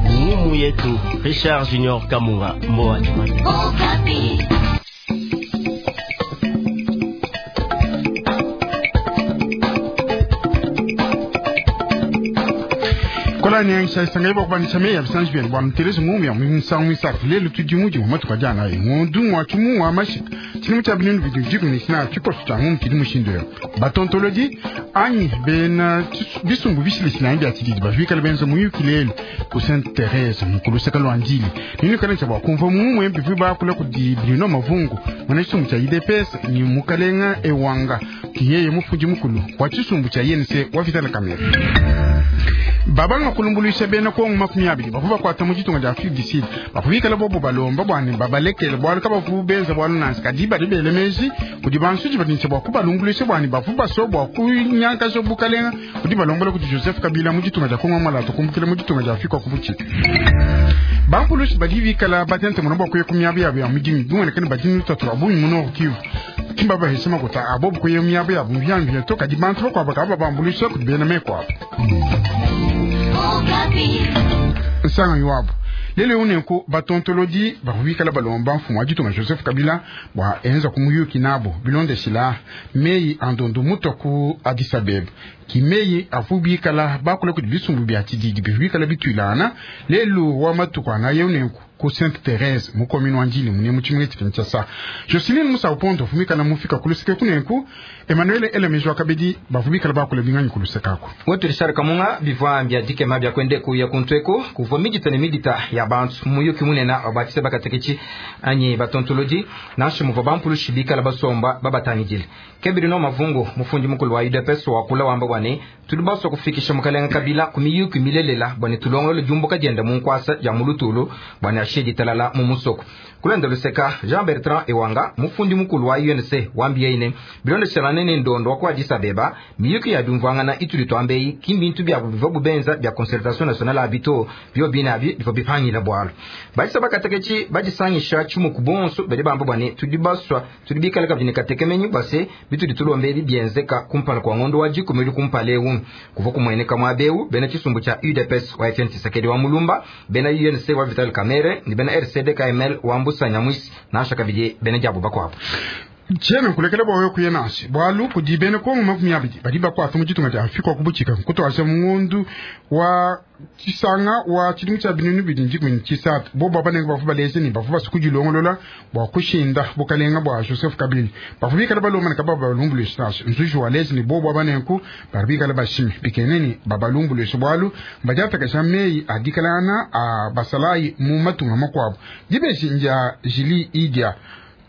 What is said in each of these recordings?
Ngumu yetu Richard Junior Kamunga Mboa. Kolani yangsha isanga ibo kubanisha meya bisanji byenu bwa mterezi ngumu ya musangu misatu lelo tudi muji mu matuka jana ayi ngondu mwa chumu wa mashika chini mucha binenu bidu jiku ni sina chikosu cha ngumu kidi mushindo yo batontoloji anyi bena bisumbu bishile sina bya chididi bavika benzo muyuki lelo ku Sainte Therese mukulu seka lwanjili nini kana cha bakumva mumwe mbivu bakula kudi Bruno Mavungu mwana chisumbu cha IDPS ni mukalenga ewanga kiyeye mufundi mukulu wa chisumbu cha INC wa Vital Kamerhe. Babanga kulumbuluisha bena kongo 20 bavu bakwata mu ditunga dia Afrique du Sud bavu bobo balomba bwane babalekele bwalu kabavu benza bwalu nansi kadi badi bele meji kudi bansuji badinse bwa kubalumbuluisha bwane bavu baso bwa kunyankaja bukalenga kudi balombola kudi Joseph Kabila mu ditunga dia Kongo malato kumbukile mu ditunga dia Afrika kubuchika. Bampulushi badi bikala batente muno bwa kuya ku miaba yabo ya mudimi bimonekene badi lutatu lwa bungi mu Nord Kivu kimba bahesema kuta abo bukuya miaba yabo mu byambi to kadi bantu bakwabo kaba babambuluisha kudi bena mekwabo nsanga iwabo lelo unenku batontolodi bakubikala balomba mfumu wa ditunga Joseph Kabila bwa enza kumuyuki nabo bilondeshila meyi andondo muto ku Addis Abeba kimeyi avubikala bakula kudi bisumbu bya tshididi bivubikala bitwilana lelo wa matuku anaye unenku ku Sainte Therese mu commune wa Ndjili mune mu tshimenga tshia Kinshasa. Jocelyn Musa Upondo fumikala mufika kuluseke kunenku Emmanuel Elemejwa kabedi bavubikala bakula binganyi kulusekako. Wetu Richard Kamunga bivwa mbya dikema bya kwende kuya kuntweko kuvwa midita ne midita ya bantu muyuki munena wabatise bakatekichi anyi batontoloji nansha muvwa bampulushi bikala basomba babatangijile kebiri no mavungu mufundi mukulu wa UDPS wakula wamba bwane tuli baswa kufikisha mukalenga Kabila ku miyuki milelela bwane tulongolo jumbuka jenda munkwasa ja mulutulu bwane ashedi talala mu musoko kulenda luseka Jean Bertrand Ewanga mufundi mukulu wa UNC wambiye ine bilondeshelane ne ndondo wa ku Addis Abeba miyuki ya byumvangana ituli twambeyi kimbintu byabo biva bubenza bya concertation nationale abito byo binabi bivyo bipangila bwalo balisa bakatekechi bajisangisha chumu kubonso bali bamba bwane tudi baswa tudi bikala kabini katekemenyi base bitudi tulombe bibyenzeka kumpala kwa ngondo wa jikumili kumpalewu kuva kumweneka mwabeu bena chisumbu cha UDPS wa Etienne Tshisekedi wa Mulumba bena UNC wa Vital Kamerhe ni bena RCD KML wa Mbusa Nyamwisi na shaka bidi bena jabo bakwabo Tshena nkulekela bwa wewe kuya nasi bwalu kudi bena kongo 20 badi bakwata mu ditunga dia Afrika kubuchika nkutwasha mungondu wa tshisanga wa tshidimu tshia binunu bidi ndikumi tshisatu bo babanenge bavu baleze ni bavu basukudilongolola bwa kushinda bukalenga bwa Joseph Kabila bavu bikala balomana kaba balumbuluisha nasi nzuji waleze ni bo babanenku bari bikala bashimi bikeneni babalumbuluisha bwalu badiatakasha meyi adikalana a basalayi mu matunga makwabo dibeshi nja jili idia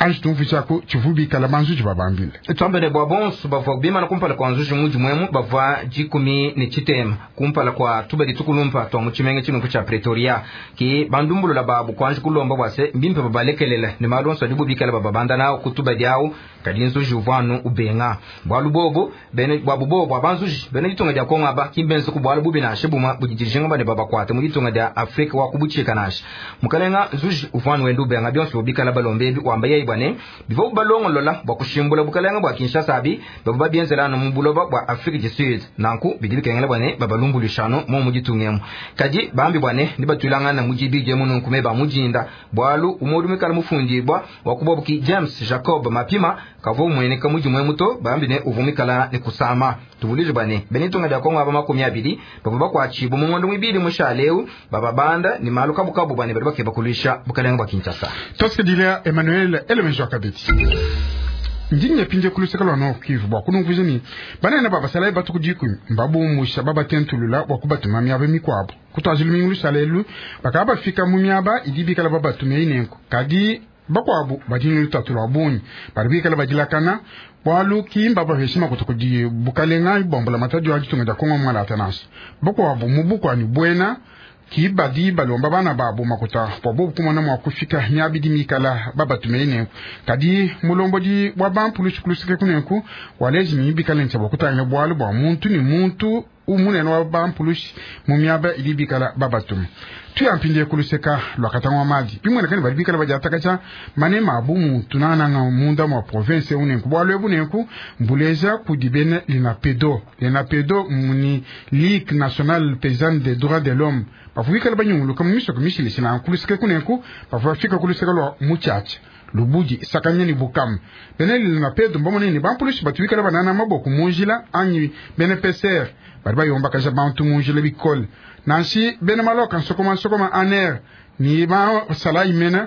anji tumvushako tshivubikala banzuji babambile twambene bwa bonso bavua bimana kumpala kwa nzuji muji mwemu bavua 18 kumpala kwa tubadi tukulumpa twa mutshimenga tshinunku tsha Pretoria ki bandumbulula babu kwanji kulomba bwase mbimpe babalekelela ne malonso adi bubikala bababanda nawo kutubadi awu kadi nzuji uvwanu ubenga bwalu bobo bene bwabu bobo bwa banzuji bene ditunga dia Kongo aba kimbenzo ku bwalu bubi nashe buma budidirijinga bane babakwate mu ditunga dia Afrika wa kubuchika nashe mukalenga nzuji uvwanu wenda ubenga byonso bubikala balombe wamba yeyi bwane bivo balongolola bwa kushimbula bukalenga bwa Kinshasa abi babo babyenzelano mu buloba bwa Afrique du Sud nanku bidi bikengela bwane babalumbulishano mo mu ditungemo kadi bambi bwane ni batulangana mu jibije mu nunkume ba mujinda bwalu umodu mikala mufundibwa wa kubobuki James Jacob Mapima kavo mweneka muji mwe muto bambi ne uvumikala ne kusama tuvulije bwane benitunga dia Kongo aba 20 babo bakwachibu mu ngondo mwibili mushaleu bababanda ni malu kabukabu bwane bali bakeba kulisha bukalenga bwa Kinshasa. Tosikidila Emmanuel Elemejo Kabeti ndinye pinje kuluseka lwa Nord Kivu bwa kunumvuja ni banene babasalayi batuku dikumi mbabumusha babatentulula bwa kubatuma miaba mikwabo kutwazila lumingu lusalelu bakaba bafika mu miaba idi bikala babatumia inenko kadi bakwabo badini lutatu lwa bungi bali bikala badilakana bwalu kimba baveshima kutu kudi bukalenga bombola matadi wa ditunga dia Kongo mwalata nasi bakwabo mu bukwani bwena kibadi balomba bana babo makuta bwa bobu kumona mwa kufika miabidi mikala babatumei nenku kadi mulombodi bwa bampulushi kuluseke kunenku walezi mibikala ntsha bwa kutangila bwalu bwa muntu ni muntu umunene wa bampulushi mu miaba idi bikala babatuma. Tuya mpindieu ku luseka lua Katanga wa Madi. Bimueneka ne badi bikale badiatakaja manema a bumuntu nangananga munda mua province eu nenku bualu ebu nenku mbuleja kudi bena Linapedo. Linapedo muni Ligue Nationale Paysanne des Droits de l'Homme bavua bikale banyunguluka mu misoko mishilashilangane ku luseke kunenku bavua bafika ku luseke lua Mutshiatshia, Lubudi, Sakanya ne Bukama. Bena Linapedo mbamone ne bampulushi batu bikale banana maboko mu njila anyi bena PCR badi bayombakaja bantu mu njila bikole. Nansha bena maloka nsokoma-nsokoma ANR ne basalayi mene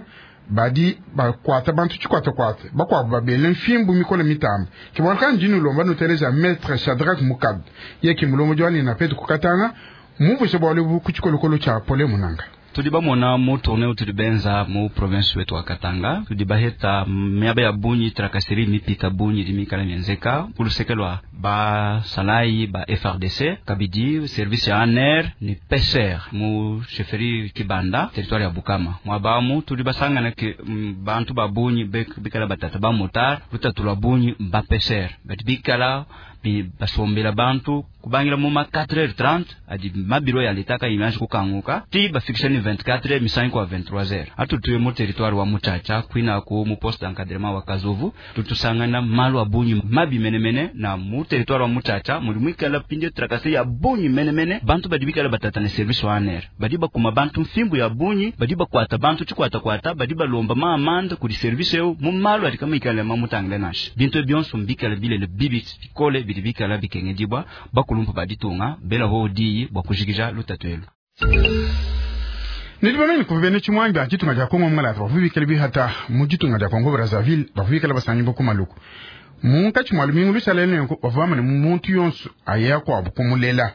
badi bakuata bantu tshikuatakuata, bakuabu babele mfimbu mikole mitambe. Ke bualu kayi ndi nnulomba nuteleja Maitre Shadrack Mukab, yeye ke mulombodi wa Linapedo ku Katanga, mmumvuije bualu ebu ku tshikolokolo tshia Pole Munanga. Tudi bamona mu tournée utudi benza mu province wetu wa Katanga, tudi baheta miaba ya bungi tracasserie mipita bungi idi mikale mienzeka ku luseke lua basalayi ba FARDC, kabidi service ya ANR ne PCR mu chefferie Kibanda, territoire ya Bukama. Muaba amu tudi basangana ke bantu ba bungi bikala batata ba motard, lutatu lua bungi ba PCR badi bikala basombela bantu kubangila mu ma 4h30 adi mabiro ya leta kayi kukanguka ti bafikisha ni 24h misangi kwa 23h. Atutuye mu territoire wa Mutshatsha kwina ku mu poste d'encadrement wa Kazovu tutusangana malu a bungi mabi menemene na mu territoire wa Mutshatsha muli mwikala pinde tracasserie ya bungi menemene bantu badi bikala batata ne service wa ANR badi bakuma bantu mfimbu ya bungi badi bakwata bantu tshikwata kwata badi balomba ma amende kudi service eu mu malu adi kama ikala mamutangile nansha bintu byonso mbikala bilele bibi bikole bidi bikala bikengedibwa bakulumpa baditunga bela ho diyi bwa kujikija lutatu elu. Nidibamene kuva bena tshimuangi ba ditunga dia Kongo mungalata bavua bikale bihata mu ditunga dia Kongo Brazzaville bavua bikale basangibua ku Maluku munkatshi mua lumingu lushala nenku bavua bamane muntu yonso aya kuabu kumulela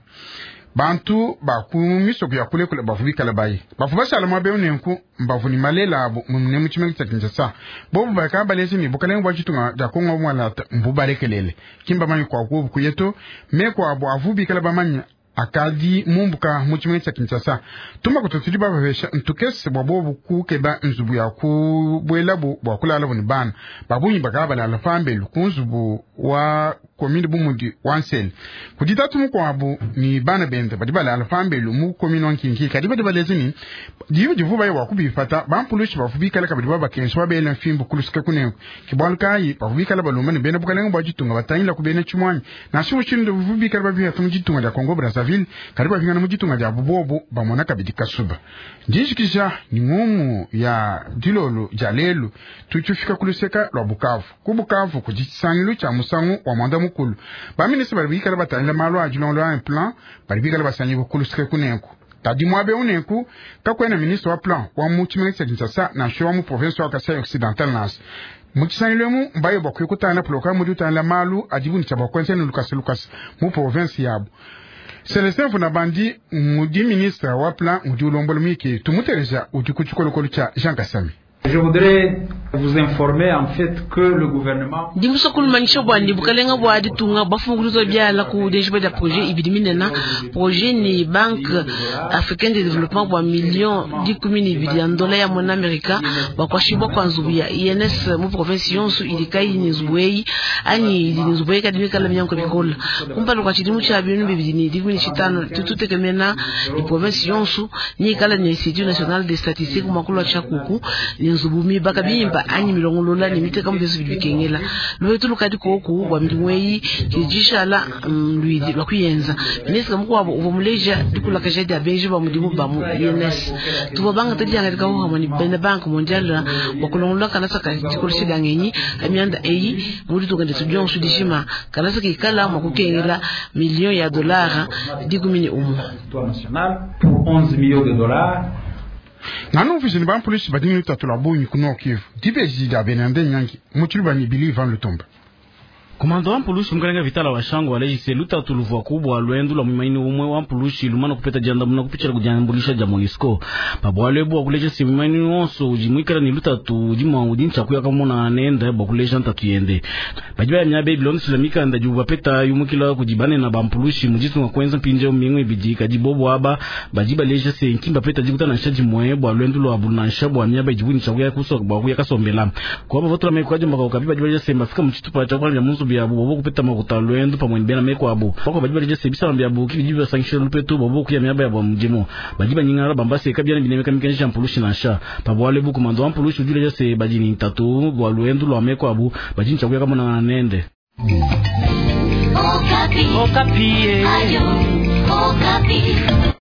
bantu ba ku misoko ya kulekule bavua bikale bayi bavua bashala muaba eu nenku mbavua ne malela abu ne mu tshimenga tshia Kinshasa bobu bakaba baleja ne bukalenge bua ditunga dia Kongo mungalata mbubalekelele ki mbamanye kua kuobu kuya to meku abu avua bikale bamanye akadi mumbuka mu tshimenga tshia Kinshasa tumakuta tudi babapesha ntukese bua bobu kukeba nzubu ya kubuelabu bua kulalabu ne bana babungi bakaba balala pambelu ku nzubu wa commune bumudi wa Nsele kudi tatu mukuabu ni bana bende badi balala pambelu mu commune wa Nkinki kadi badi baleja ni diba divu baye bua kubipata bampulushi bavua bikale kabidi babakengesha babela mfimbu kulusika kunenku ke bualu kayi bavua bikale balomba ne bena bukalenge bua ditunga batangila ku bena tshimuanyi nansha mushindu bavua bikale babihata mu ditunga dia Kongo Brazzaville kadi bapingana mu ditunga dia bubobo bamona kabidi kasuba. Ndijikija ni ngumu ya dilolo dia lelu tutufika ku luseka lua Bukavu. Ku Bukavu kudi tshisangilu tshia musangu wa mwanda mukulu. Baminista badi bikale batangila malu a dilongolola ya plan badi bikale basangibua ku luseke kunenku. Kadi muaba eu nenku kakuena ministre wa plan wa mu tshimenga tshia Kinshasa nansha wa mu province wa Kasai Occidental nansha. Mu tshisangilu emu mbaye bua kuyukutangila programme udi utangila malu adibu ne tshia bua kuenza ne lukasa lukasa mu province yabu. Celestin Vunabandi mudi ministre wa plan udi ulombola muyiki tumuteleja udi ku tshikolokolo tshia Jean Kasami. Je voudrais vous informer en fait que le gouvernement Ndi musue kulumanyisha bua ne bukalenga bua ditunga bafunguluza biala ku denjiba dia projet ibidi minene projet ni Banque Africaine de Développement bua million 12 ya ndola ya mona Amerika bua kuashibua kua nzubu ya INS mu province yonso idi kayi ne nzubu eyi anyi idi ne nzubu eyi kadi mikala minyanguka bikola kumpala kua tshidimu tshia 2015 tututekemena ni province yonso nikala ne Institut National de Statistique muakulu wa tshiakuku ne nzubu mibaka bimpa anyi milongolola ne miteka mu bionso bidi bikengela lupetu lukadi koku bua midimu eyi tshidi luidi lua kuyenza. Ministre mukuabu uvua muleja dikulakaja dia benji ba mudimu ba mu INS tuvua bangata dihangadika hamwe ne bena Banque Mondiale bua kulongolola kalasa ka dikolesha dia ngenyi amianda eyi mu ditunga dietu dionso dijima kalasa kikala mua kukengela million ya dollars 11. National pour 11 millions de dollars. Nganu mvise ni bampolisi badi ne lutatu lua bungi ku Nord Kivu dibeji dia benande nyangi mu tshiluba ne Billy Van Lutumba. Komando wa mpulushi mukalenga Vitala wa Shango walejise lutatu luvua kubwa lwendu lwa mwimaini umwe wa mpulushi lumana kupeta jandamuna kupichila kujambulisha ja MONUSCO pabwalo ebu wakuleja si mwimaini wonso udi mwikala ni lutatu udi mwa udi nchakuya kamona nenda bwa kuleja ntatu yende badi baya myabe bilondesela mikanda ju bapeta yumukila kudibane na bampulushi mujitunga kwenza mpinje mingu ibidi kadi bobo aba badi baleja se nkimba peta jikutana nsha jimwe bwa lwendu lwa bunansha bwa myaba ijibu nchakuya kuso bwa kuya kasombela kwa bavotola mekwajo mbaka ukapi badi baleja se mbafika muchitupa cha kwa munzu nzubu yabu bua kupeta makuta a luendu pamue ne bena meku abu. Bakuabu badi baleja se bisamba biabu ki bidi bibasankishila lupetu bua bobu kuya miaba yabu ya mudimu. Badi banyingalala bamba se kabiena binemeka mikenji ya mpulushi nansha. Pa bualu ebu komanda wa mpulushi udi uleja se badi ne ntatu bua luendu lua meku abu badi ne tshia kuya kamonangana nende. Okapi. Okapi. Ayo, Okapi.